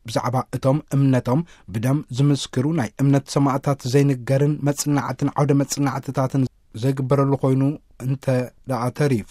ብዛዕባ እቶም እምነቶም ብደም ዝምስክሩ ናይ እምነት ሰማእታት ዘይንገርን መጽናዕትን ዓውደ መጽናዕትታትን ዘይግበረሉ ኮይኑ እንተ ደኣ ተሪፉ፣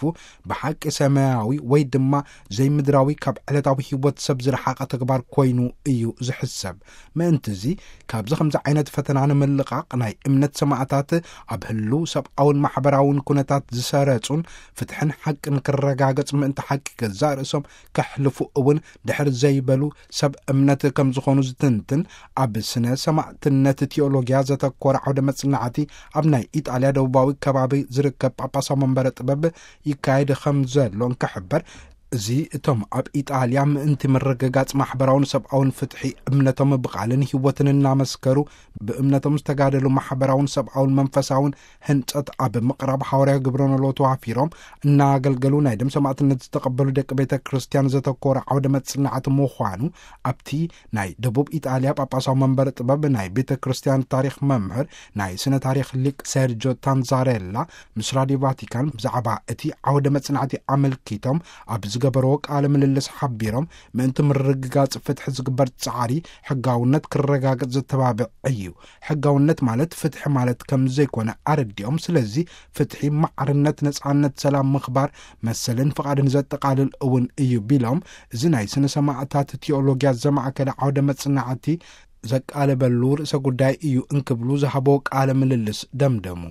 ብሓቂ ሰማያዊ ወይ ድማ ዘይምድራዊ፣ ካብ ዕለታዊ ህይወት ሰብ ዝረሓቐ ተግባር ኮይኑ እዩ ዝሕሰብ። ምእንትዚ፣ ካብዚ ከምዚ ዓይነት ፈተና ንምልቓቕ ናይ እምነት ሰማእታት ኣብ ህልው ሰብኣውን ማሕበራውን ኩነታት ዝሰረጹን ፍትሕን ሓቅን ክረጋገጽ ምእንቲ ሓቂ ገዛእ ርእሶም ከሕልፉ እውን ድሕር ዘይበሉ ሰብ እምነት ከም ዝኾኑ ዝትንትን፣ ኣብ ስነ ሰማዕትነት ቲዮሎጊያ ዘተኮረ ዓውደ መጽናዕቲ ኣብ ናይ ኢጣልያ ደቡባዊ ከባቢ ዝርከብ ጳጳሳዊ መንበረ ጥበብ ይካየድ ከም ዘሎ እንክሕበር፣ እዚ እቶም ኣብ ኢጣልያ ምእንቲ ምርግጋጽ ማሕበራውን ሰብኣውን ፍትሒ እምነቶም ብቓልን ህይወትን እናመስከሩ ብእምነቶም ዝተጋደሉ ማሕበራውን ሰብኣውን መንፈሳውን ህንጸት ኣብ ምቕራብ ሓዋርያዊ ግብረ ኖሎ ተዋፊሮም እናገልገሉ ናይ ደም ሰማዕትነት ዝተቐበሉ ደቂ ቤተ ክርስቲያን ዘተኮረ ዓውደ መጽናዕቲ ምዃኑ ኣብቲ ናይ ደቡብ ኢጣልያ ጳጳሳዊ መንበረ ጥበብ ናይ ቤተ ክርስቲያን ታሪኽ መምህር ናይ ስነ ታሪኽ ሊቅ ሰርጆ ታንዛሬላ ምስ ራዲዮ ቫቲካን ብዛዕባ እቲ ዓውደ መጽናዕቲ ኣመልኪቶም ኣብ ዝገበርዎ ቃለ ምልልስ ሓቢሮም፣ ምእንቲ ምርግጋጽ ፍትሒ ዝግበር ጻዕሪ ሕጋውነት ክረጋገጽ ዘተባብዕ እዩ። ሕጋውነት ማለት ፍትሒ ማለት ከም ዘይኮነ ኣረዲኦም፣ ስለዚ ፍትሒ፣ ማዕርነት፣ ነጻነት፣ ሰላም፣ ምኽባር፣ መሰልን ፍቓድን ዘጠቓልል እውን እዩ ቢሎም፣ እዚ ናይ ስነ ሰማዕታት ቲዮሎጊያ ዘማእከለ ዓውደ መጽናዕቲ ዘቃለበሉ ርእሰ ጉዳይ እዩ እንክብሉ ዝሃቦ ቃለ ምልልስ ደምደሙ።